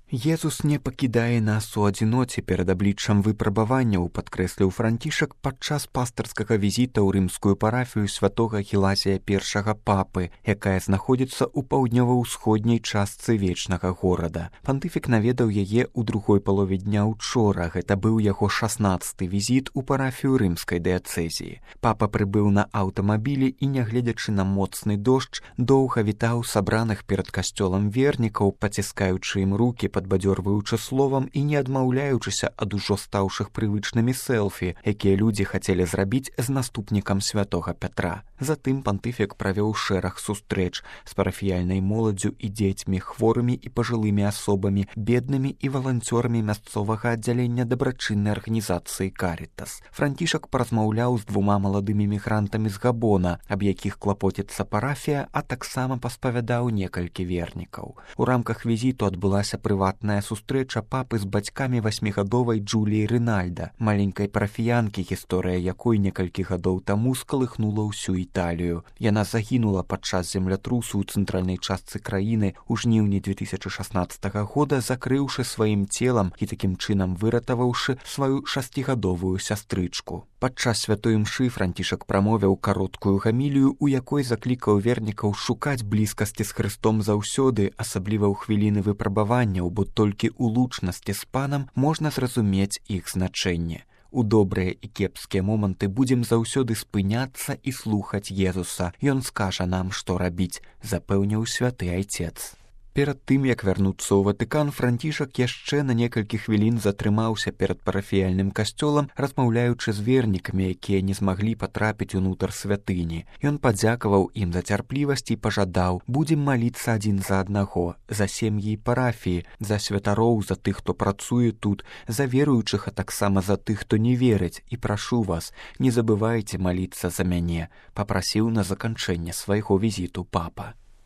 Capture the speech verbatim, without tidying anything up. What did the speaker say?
Езус не пакідае нас у адзіноце перад абліччам выпрабаванняў, падкрэсліў Францішак падчас пастырскага візіта ў рымскую парафію святога Гелазія першага папы, якая знаходзіцца ў паўднёва-ўсходняй частцы вечнага горада. Пантыфік наведаў яе ў другой палове дня учора. Гэта быў яго шаснаццаты візіт у парафію рымскай дыяцэзіі. Папа прыбыў на аўтамабілі і, нягледзячы на моцны дождж, доўга вітаў сабраных перад касцёлам вернікаў, паціскаючы ім рукі, падбадзёрваючы словам і не адмаўляючыся ад ужо стаўшых прывычнымі селфі, якія людзі хацелі зрабіць з наступнікам святога Пятра. Затым пантыфік правёў шэраг сустрэч з парафіяльнай моладдзю і дзецьмі, хворымі і пажылымі асобамі, беднымі і валанцёрамі мясцовага аддзялення дабрачыннай арганізацыі «Карітас». Францішак паразмаўляў з двума маладымі мігрантамі з Габона, аб якіх клапоціцца парафія, а таксама паспавядаў некалькі вернікаў. У рамках візіту адбылася прыватная сустрэча папы з бацькамі васьмігадовай Джуліі Рынальда, маленькай парафіянкі, гісторыя якой некалькі гадоў таму скалыхнула ўсю Італію. Яна загінула падчас землятрусу ў цэнтральнай частцы краіны ў жніўні две тысячы шаснаццатага года, закрыўшы сваім целам і такім чынам выратаваўшы сваю шасцігадовую сястрычку. Падчас святой імшы Францішак прамовіў кароткую гамілію, у якой заклікаў вернікаў шукаць блізкасці з Хрыстом заўсёды, асабліва ў хвіліны выпрабаванняў, бо толькі ў лучнасці з панам можна зразумець іх значэнне. У добрыя і кепскія моманты будзем заўсёды спыняцца і слухаць Езуса. Ён скажа нам, што рабіць, запэўніў святы айцец. Перад тым, як вярнуцца ў Ватыкан, Францішак яшчэ на некалькі хвілін затрымаўся перад парафіяльным касцёлам, размаўляючы з вернікамі, якія не змаглі патрапіць унутр святыні. Ён падзякаваў ім за цярплівасць і пажадаў: будзем маліцца адзін за аднаго, за сем'і і парафіі, за святароў, за тых, хто працуе тут, за веруючых, а таксама за тых, хто не верыць, і прашу вас, не забывайце маліцца за мяне, папрасіў на заканчэнне свайго візіту папа.